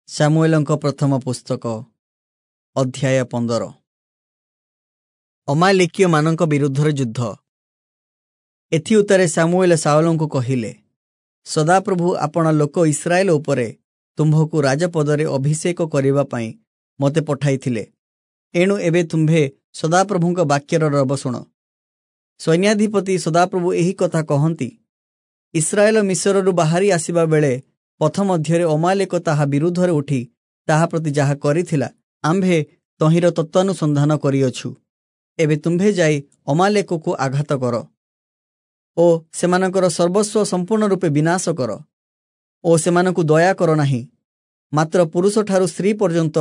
ସାମୁଏଲଙ୍କ ପ୍ରଥମ ପୁସ୍ତକ ଅଧ୍ୟାୟ 15। ଅମାଲେକୀୟମାନଙ୍କ ବିରୁଦ୍ଧରେ ଯୁଦ୍ଧ। ଏଥିଉତ୍ତାରେ ସାମୁଏଲ ଶାଉଲଙ୍କୁ କହିଲେ, ସଦାପ୍ରଭୁ ଆପଣା ଲୋକ ଇସ୍ରାଏଲ ଉପରେ ତୁମ୍ଭକୁ ରାଜପଦରେ ଅଭିଷେକ କରିବା ପାଇଁ ମୋତେ ପଠାଇଥିଲେ। ଏଣୁ ଏବେ ତୁମ୍ଭେ ସଦାପ୍ରଭୁଙ୍କ ବାକ୍ୟର ରବ ଶୁଣ। ସୈନ୍ୟାଧିପତି ସଦାପ୍ରଭୁ ଏହି କଥା କହନ୍ତି, ଇସ୍ରାଏଲ ମିଶରରୁ ବାହାରି ଆସିବା ବେଳେ ପଥ ମଧ୍ୟରେ ଅମାଲେକ ତାହା ବିରୁଦ୍ଧରେ ଉଠି ତାହା ପ୍ରତି ଯାହା କରିଥିଲା, ଆମ୍ଭେ ତହିଁର ତତ୍ତ୍ୱାନୁସନ୍ଧାନ କରିଅଛୁ। ଏବେ ତୁମ୍ଭେ ଯାଇ ଅମାଲେକକୁ ଆଘାତ କର ଓ ସେମାନଙ୍କର ସର୍ବସ୍ୱ ସମ୍ପୂର୍ଣ୍ଣ ରୂପେ ବିନାଶ କର ଓ ସେମାନଙ୍କୁ ଦୟା କର ନାହିଁ। ମାତ୍ର ପୁରୁଷଠାରୁ ସ୍ତ୍ରୀ ପର୍ଯ୍ୟନ୍ତ,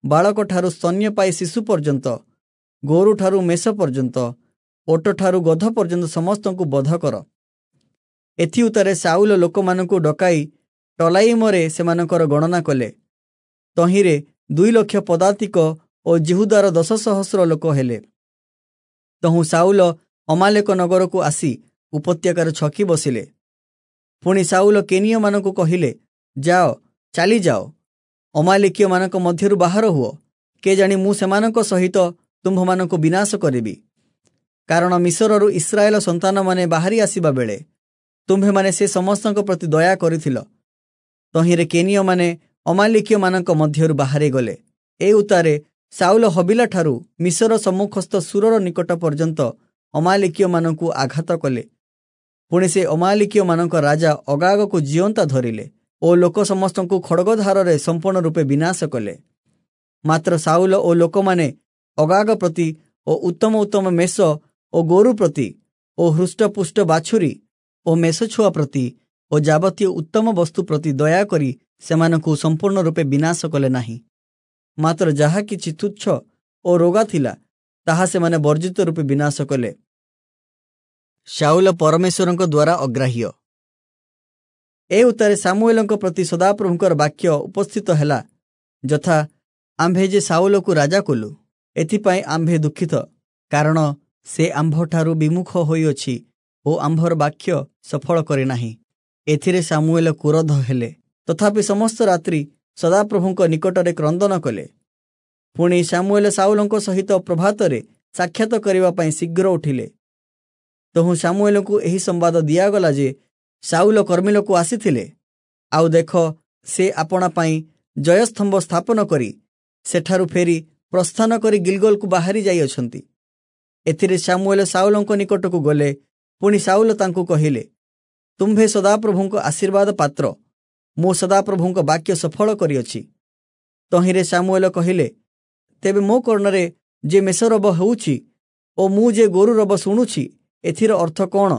ବାଳକଠାରୁ ସ୍ତନ୍ୟପାୟୀ ଶିଶୁ ପର୍ଯ୍ୟନ୍ତ, ଗୋରୁଠାରୁ ମେଷ ପର୍ଯ୍ୟନ୍ତ, ଓଟଠାରୁ ଗଧ ପର୍ଯ୍ୟନ୍ତ ସମସ୍ତଙ୍କୁ ବଧ କର। ଏଥିଉତ୍ତାରେ ଶାଉଲ ଲୋକମାନଙ୍କୁ ଡକାଇ ଟଲାଇମରେ ସେମାନଙ୍କର ଗଣନା କଲେ। ତହିଁରେ 2 ଲକ୍ଷ ପଦାତିକ ଓ ଯିହୁଦାର 10 ସହସ୍ର ଲୋକ ହେଲେ। ତହୁଁ ଶାଉଲ ଅମାଲେକ ନଗରକୁ ଆସି ଉପତ୍ୟକାରେ ଛକି ବସିଲେ। ପୁଣି ଶାଉଲ କେନୀୟମାନଙ୍କୁ କହିଲେ, ଯାଅ, ଚାଲିଯାଅ, ଅମାଲେକୀୟମାନଙ୍କ ମଧ୍ୟରୁ ବାହାର ହୁଅ, କେଜାଣି ମୁଁ ସେମାନଙ୍କ ସହିତ ତୁମ୍ଭମାନଙ୍କୁ ବିନାଶ କରିବି। କାରଣ ମିଶରରୁ ଇସ୍ରାଏଲ ସନ୍ତାନମାନେ ବାହାରି ଆସିବା ବେଳେ ତୁମ୍ଭେମାନେ ସେ ସମସ୍ତଙ୍କ ପ୍ରତି ଦୟା କରିଥିଲ। ତହିଁରେ କେନୀୟମାନେ ଅମାଲେକୀୟମାନଙ୍କ ମଧ୍ୟରୁ ବାହାରି ଗଲେ। ଏ ଉତ୍ତାରେ ଶାଉଲ ହବିଲାଠାରୁ ମିଶର ସମ୍ମୁଖସ୍ଥ ଶୂରର ନିକଟ ପର୍ଯ୍ୟନ୍ତ ଅମାଲେକୀୟମାନଙ୍କୁ ଆଘାତ କଲେ। ପୁଣି ସେ ଅମାଲେକୀୟମାନଙ୍କ ରାଜା ଅଗାଗକୁ ଜିଅନ୍ତା ଧରିଲେ ଓ ଲୋକ ସମସ୍ତଙ୍କୁ ଖଡ଼ଗଧାରରେ ସମ୍ପୂର୍ଣ୍ଣ ରୂପେ ବିନାଶ କଲେ। ମାତ୍ର ଶାଉଲ ଓ ଲୋକମାନେ ଅଗାଗ ପ୍ରତି ଓ ଉତ୍ତମ ଉତ୍ତମ ମେଷ ଓ ଗୋରୁ ପ୍ରତି ଓ ହୃଷ୍ଟପୁଷ୍ଟ ବାଛୁରୀ ଓ ମେଷଛୁଆ ପ୍ରତି ଓ ଯାବତୀୟ ଉତ୍ତମ ବସ୍ତୁ ପ୍ରତି ଦୟା କରି ସେମାନଙ୍କୁ ସମ୍ପୂର୍ଣ୍ଣ ରୂପେ ବିନାଶ କଲେ ନାହିଁ। ମାତ୍ର ଯାହା କିଛି ତୁଚ୍ଛ ଓ ରୋଗା ଥିଲା, ତାହା ସେମାନେ ବର୍ଜିତ ରୂପେ ବିନାଶ କଲେ। ଶାଉଲ ପରମେଶ୍ୱରଙ୍କ ଦ୍ୱାରା ଅଗ୍ରାହ୍ୟ। ଏ ଉତ୍ତାରେ ସାମୁଏଲଙ୍କ ପ୍ରତି ସଦାପ୍ରଭୁଙ୍କର ବାକ୍ୟ ଉପସ୍ଥିତ ହେଲା, ଯଥା, ଆମ୍ଭେ ଯେ ଶାଉଲକୁ ରାଜା କଲୁ, ଏଥିପାଇଁ ଆମ୍ଭେ ଦୁଃଖିତ, କାରଣ ସେ ଆମ୍ଭଠାରୁ ବିମୁଖ ହୋଇଅଛି ଓ ଆମ୍ଭର ବାକ୍ୟ ସଫଳ କରିନାହିଁ। ଏଥିରେ ସାମୁଏଲ କ୍ରୋଧ ହେଲେ। ତଥାପି ସମସ୍ତ ରାତ୍ରି ସଦାପ୍ରଭୁଙ୍କ ନିକଟରେ କ୍ରନ୍ଦନ କଲେ। ପୁଣି ସାମୁଏଲ ଶାଉଲଙ୍କ ସହିତ ପ୍ରଭାତରେ ସାକ୍ଷାତ କରିବା ପାଇଁ ଶୀଘ୍ର ଉଠିଲେ। ତହୁଁ ସାମୁଏଲଙ୍କୁ ଏହି ସମ୍ବାଦ ଦିଆଗଲା ଯେ ଶାଉଲ କର୍ମିଲକୁ ଆସିଥିଲେ, ଆଉ ଦେଖ, ସେ ଆପଣା ପାଇଁ ଜୟସ୍ତମ୍ଭ ସ୍ଥାପନ କରି ସେଠାରୁ ଫେରି ପ୍ରସ୍ଥାନ କରି ଗିଲଗଲକୁ ବାହାରି ଯାଇଅଛନ୍ତି। ଏଥିରେ ସାମୁଏଲ ଶାଉଲଙ୍କ ନିକଟକୁ ଗଲେ। ପୁଣି ଶାଉଲ ତାଙ୍କୁ କହିଲେ, ତୁମ୍ଭେ ସଦାପ୍ରଭୁଙ୍କ ଆଶୀର୍ବାଦ ପାତ୍ର, ମୁଁ ସଦାପ୍ରଭୁଙ୍କ ବାକ୍ୟ ସଫଳ କରିଅଛି। ତହିଁରେ ସାମୁଏଲ କହିଲେ, ତେବେ ମୋ କର୍ଣ୍ଣରେ ଯେ ମେଷରବ ହେଉଛି ଓ ମୁଁ ଯେ ଗୋରୁ ରବ ଶୁଣୁଛି, ଏଥିର ଅର୍ଥ କ'ଣ?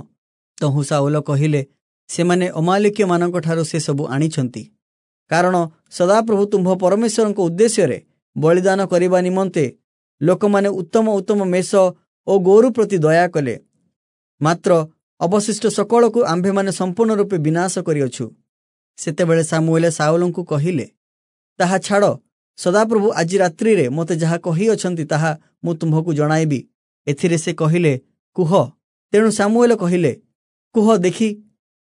ତହୁଁ ଶାଉଲ କହିଲେ, ସେମାନେ ଅମାଲେକୀୟମାନଙ୍କଠାରୁ ସେସବୁ ଆଣିଛନ୍ତି। କାରଣ ସଦାପ୍ରଭୁ ତୁମ୍ଭ ପରମେଶ୍ୱରଙ୍କ ଉଦ୍ଦେଶ୍ୟରେ ବଳିଦାନ କରିବା ନିମନ୍ତେ ଲୋକମାନେ ଉତ୍ତମ ଉତ୍ତମ ମେଷ ଓ ଗୋରୁ ପ୍ରତି ଦୟା କଲେ। ମାତ୍ର ଅବଶିଷ୍ଟ ସକଳକୁ ଆମ୍ଭେମାନେ ସମ୍ପୂର୍ଣ୍ଣ ରୂପେ ବିନାଶ କରିଅଛୁ। ସେତେବେଳେ ସାମୁଏଲ ଶାଉଲଙ୍କୁ କହିଲେ, ତାହା ଛାଡ଼, ସଦାପ୍ରଭୁ ଆଜି ରାତ୍ରିରେ ମୋତେ ଯାହା କହିଅଛନ୍ତି, ତାହା ମୁଁ ତୁମ୍ଭକୁ ଜଣାଇବି। ଏଥିରେ ସେ କହିଲେ, କୁହ। ତେଣୁ ସାମୁଏଲ କହିଲେ, କୁହ ଦେଖି,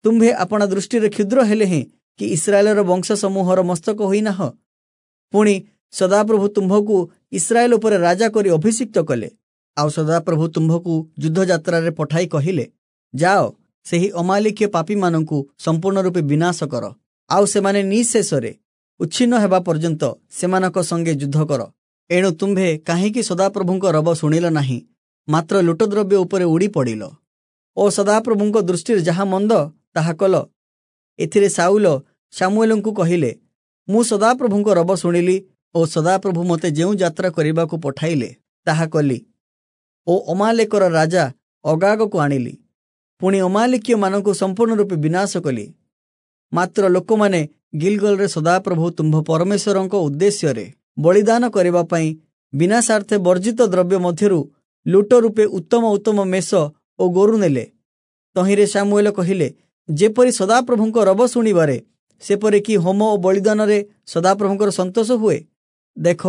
ତୁମ୍ଭେ ଆପଣା ଦୃଷ୍ଟିରେ କ୍ଷୁଦ୍ର ହେଲେ ହେଁ କି ଇସ୍ରାଏଲର ବଂଶ ସମୂହର ମସ୍ତକ ହୋଇନାହ? ପୁଣି ସଦାପ୍ରଭୁ ତୁମ୍ଭକୁ ଇସ୍ରାଏଲ ଉପରେ ରାଜା କରି ଅଭିଷିକ୍ତ କଲେ। ଆଉ ସଦାପ୍ରଭୁ ତୁମ୍ଭକୁ ଯୁଦ୍ଧଯାତ୍ରାରେ ପଠାଇ କହିଲେ, ଯାଅ, ସେହି ଅମାଲେକୀୟ ପାପୀମାନଙ୍କୁ ସମ୍ପୂର୍ଣ୍ଣ ରୂପେ ବିନାଶ କର, ଆଉ ସେମାନେ ନିଃଶେଷରେ ଉଚ୍ଛିନ୍ନ ହେବା ପର୍ଯ୍ୟନ୍ତ ସେମାନଙ୍କ ସଙ୍ଗେ ଯୁଦ୍ଧ କର। ଏଣୁ ତୁମ୍ଭେ କାହିଁକି ସଦାପ୍ରଭୁଙ୍କ ରବ ଶୁଣିଲ ନାହିଁ, ମାତ୍ର ଲୁଟଦ୍ରବ୍ୟ ଉପରେ ଉଡ଼ି ପଡ଼ିଲ ଓ ସଦାପ୍ରଭୁଙ୍କ ଦୃଷ୍ଟିରେ ଯାହା ମନ୍ଦ, ତାହା କଲ? ଏଥିରେ ଶାଉଲ ସାମୁଏଲଙ୍କୁ କହିଲେ, ମୁଁ ସଦାପ୍ରଭୁଙ୍କ ରବ ଶୁଣିଲି ଓ ସଦାପ୍ରଭୁ ମୋତେ ଯେଉଁ ଯାତ୍ରା କରିବାକୁ ପଠାଇଲେ, ତାହା କଲି ଓ ଅମାଲେକର ରାଜା ଅଗାଗକୁ ଆଣିଲି। ପୁଣି ଅମାଲେକୀୟମାନଙ୍କୁ ସମ୍ପୂର୍ଣ୍ଣ ରୂପେ ବିନାଶ କଲି। ମାତ୍ର ଲୋକମାନେ ଗିଲଗଲରେ ସଦାପ୍ରଭୁ ତୁମ୍ଭ ପରମେଶ୍ୱରଙ୍କ ଉଦ୍ଦେଶ୍ୟରେ ବଳିଦାନ କରିବା ପାଇଁ ବିନାଶାର୍ଥେ ବର୍ଜିତ ଦ୍ରବ୍ୟ ମଧ୍ୟରୁ ଲୁଟ ରୂପେ ଉତ୍ତମ ଉତ୍ତମ ମେଷ ଓ ଗୋରୁ ନେଲେ। ତହିଁରେ ସାମୁଏଲ କହିଲେ, ଯେପରି ସଦାପ୍ରଭୁଙ୍କ ରବ ଶୁଣିବାରେ, ସେପରି କି ହୋମ ଓ ବଳିଦାନରେ ସଦାପ୍ରଭୁଙ୍କର ସନ୍ତୋଷ ହୁଏ? ଦେଖ,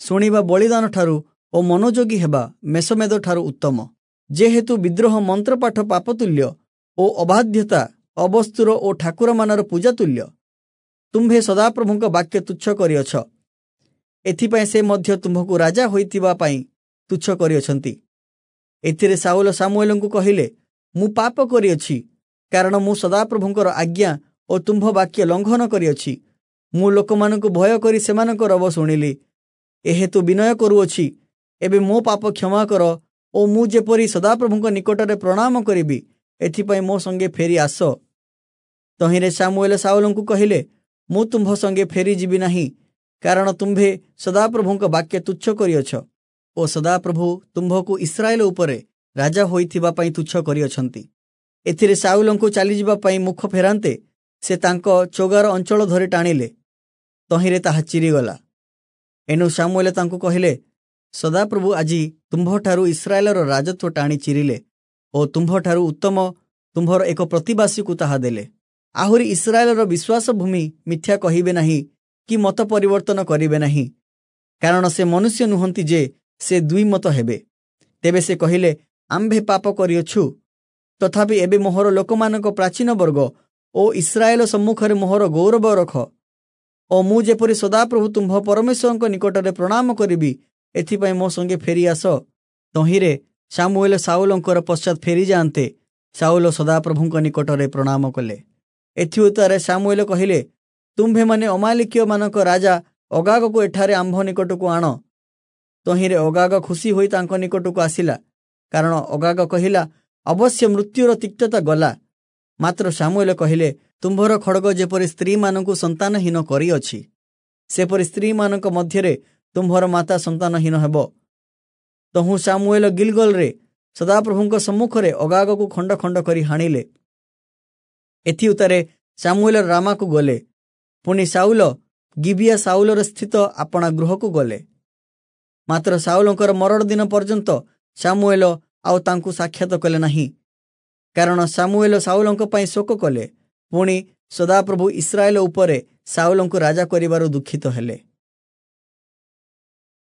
ଶୁଣିବା ବଳିଦାନଠାରୁ ଓ ମନୋଯୋଗୀ ହେବା ମେଷମେଦଠାରୁ ଉତ୍ତମ। ଯେହେତୁ ବିଦ୍ରୋହ ମନ୍ତ୍ରପାଠ ପାପତୁଲ୍ୟ ଓ ଅବାଧ୍ୟତା ଅବସ୍ତୁର ଓ ଠାକୁରମାନର ପୂଜା ତୁଲ୍ୟ। ତୁମ୍ଭେ ସଦାପ୍ରଭୁଙ୍କ ବାକ୍ୟ ତୁଚ୍ଛ କରିଅଛ, ଏଥିପାଇଁ ସେ ମଧ୍ୟ ତୁମ୍ଭକୁ ରାଜା ହୋଇଥିବା ପାଇଁ ତୁଚ୍ଛ କରିଅଛନ୍ତି। ଏଥିରେ ଶାଉଲ ସାମୁଏଲଙ୍କୁ କହିଲେ, ମୁଁ ପାପ କରିଅଛି, କାରଣ ମୁଁ ସଦାପ୍ରଭୁଙ୍କର ଆଜ୍ଞା ଓ ତୁମ୍ଭ ବାକ୍ୟ ଲଙ୍ଘନ କରିଅଛି। ମୁଁ ଲୋକମାନଙ୍କୁ ଭୟ କରି ସେମାନଙ୍କ ରବ ଶୁଣିଲି, ଏହେତୁ ବିନୟ କରୁଅଛି। ଏବେ ମୋ ପାପ କ୍ଷମା କର ଓ ମୁଁ ଯେପରି ସଦାପ୍ରଭୁଙ୍କ ନିକଟରେ ପ୍ରଣାମ କରିବି, ଏଥିପାଇଁ ମୋ ସଙ୍ଗେ ଫେରି ଆସ। ତହିଁରେ ସାମୁଏଲ ଶାଉଲଙ୍କୁ କହିଲେ, ମୁଁ ତୁମ୍ଭ ସଙ୍ଗେ ଫେରିଯିବି ନାହିଁ, କାରଣ ତୁମ୍ଭେ ସଦାପ୍ରଭୁଙ୍କ ବାକ୍ୟ ତୁଚ୍ଛ କରିଅଛ ଓ ସଦାପ୍ରଭୁ ତୁମ୍ଭକୁ ଇସ୍ରାଏଲ ଉପରେ ରାଜା ହୋଇଥିବା ପାଇଁ ତୁଚ୍ଛ କରିଅଛନ୍ତି। ଏଥିରେ ଶାଉଲଙ୍କୁ ଚାଲିଯିବା ପାଇଁ ମୁଖ ଫେରାନ୍ତେ ସେ ତାଙ୍କ ଚୋଗାର ଅଞ୍ଚଳ ଧରି ଟାଣିଲେ, ତହିଁରେ ତାହା ଚିରିଗଲା। ଏଣୁ ସାମୁଏଲ ତାଙ୍କୁ କହିଲେ, ସଦାପ୍ରଭୁ ଆଜି ତୁମ୍ଭଠାରୁ ଇସ୍ରାଏଲର ରାଜତ୍ୱ ଟାଣି ଚିରିଲେ ଓ ତୁମ୍ଭଠାରୁ ଉତ୍ତମ ତୁମ୍ଭର ଏକ ପ୍ରତିବାସୀକୁ ତାହା ଦେଲେ। ଆହୁରି ଇସ୍ରାଏଲର ବିଶ୍ୱାସ ଭୂମି ମିଥ୍ୟା କହିବେ ନାହିଁ କି ମତ ପରିବର୍ତ୍ତନ କରିବେ ନାହିଁ, କାରଣ ସେ ମନୁଷ୍ୟ ନୁହନ୍ତି ଯେ ସେ ଦୁଇ ମତ ହେବେ। ତେବେ ସେ କହିଲେ, ଆମ୍ଭେ ପାପ କରିଅଛୁ, ତଥାପି ଏବେ ମୋହର ଲୋକମାନଙ୍କ ପ୍ରାଚୀନ ବର୍ଗ ଓ ଇସ୍ରାଏଲ ସମ୍ମୁଖରେ ମୋହର ଗୌରବ ରଖ ଓ ମୁଁ ଯେପରି ସଦାପ୍ରଭୁ ତୁମ୍ଭ ପରମେଶ୍ୱରଙ୍କ ନିକଟରେ ପ୍ରଣାମ କରିବି, ଏଥିପାଇଁ ମୋ ସଙ୍ଗେ ଫେରି ଆସ। ତହିଁରେ ସାମୁଏଲ ଶାଉଲଙ୍କର ପଶ୍ଚାତ୍ ଫେରିଯାଆନ୍ତେ ଶାଉଲ ସଦାପ୍ରଭୁଙ୍କ ନିକଟରେ ପ୍ରଣାମ କଲେ। ଏଥିଉତ୍ତାରେ ସାମୁଏଲ କହିଲେ, ତୁମ୍ଭେମାନେ ଅମାଲିକୀୟମାନଙ୍କ ରାଜା ଅଗାଗକୁ ଏଠାରେ ଆମ୍ଭ ନିକଟକୁ ଆଣ। ତହିଁରେ ଅଗାଗ ଖୁସି ହୋଇ ତାଙ୍କ ନିକଟକୁ ଆସିଲା, କାରଣ ଅଗାଗ କହିଲା, ଅବଶ୍ୟ ମୃତ୍ୟୁର ତିକ୍ତତା ଗଲା। ମାତ୍ର ସାମୁଏଲ କହିଲେ, ତୁମ୍ଭର ଖଡ଼ଗ ଯେପରି ସ୍ତ୍ରୀମାନଙ୍କୁ ସନ୍ତାନହୀନ କରିଅଛି, ସେପରି ସ୍ତ୍ରୀମାନଙ୍କ ମଧ୍ୟରେ ତୁମ୍ଭର ମାତା ସନ୍ତାନହୀନ ହେବ। ତହୁଁ ସାମୁଏଲ ଗିଲଗଲରେ ସଦାପ୍ରଭୁଙ୍କ ସମ୍ମୁଖରେ ଅଗାଗକୁ ଖଣ୍ଡ ଖଣ୍ଡ କରି ହାଣିଲେ। ଏଥିଉତ୍ତାରେ ସାମୁଏଲ ରାମାକୁ ଗଲେ। ପୁଣି ଶାଉଲ ଗିବିଆ ଶାଉଲର ସ୍ଥିତ ଆପଣା ଗୃହକୁ ଗଲେ। ମାତ୍ର ଶାଉଲଙ୍କର ମରଣ ଦିନ ପର୍ଯ୍ୟନ୍ତ ସାମୁଏଲ ଆଉ ତାଙ୍କୁ ସାକ୍ଷାତ କଲେ ନାହିଁ, କାରଣ ସାମୁଏଲ ଶାଉଲଙ୍କ ପାଇଁ ଶୋକ କଲେ। ପୁଣି ସଦାପ୍ରଭୁ ଇସ୍ରାଏଲ ଉପରେ ଶାଉଲଙ୍କୁ ରାଜା କରିବାରୁ ଦୁଃଖିତ ହେଲେ।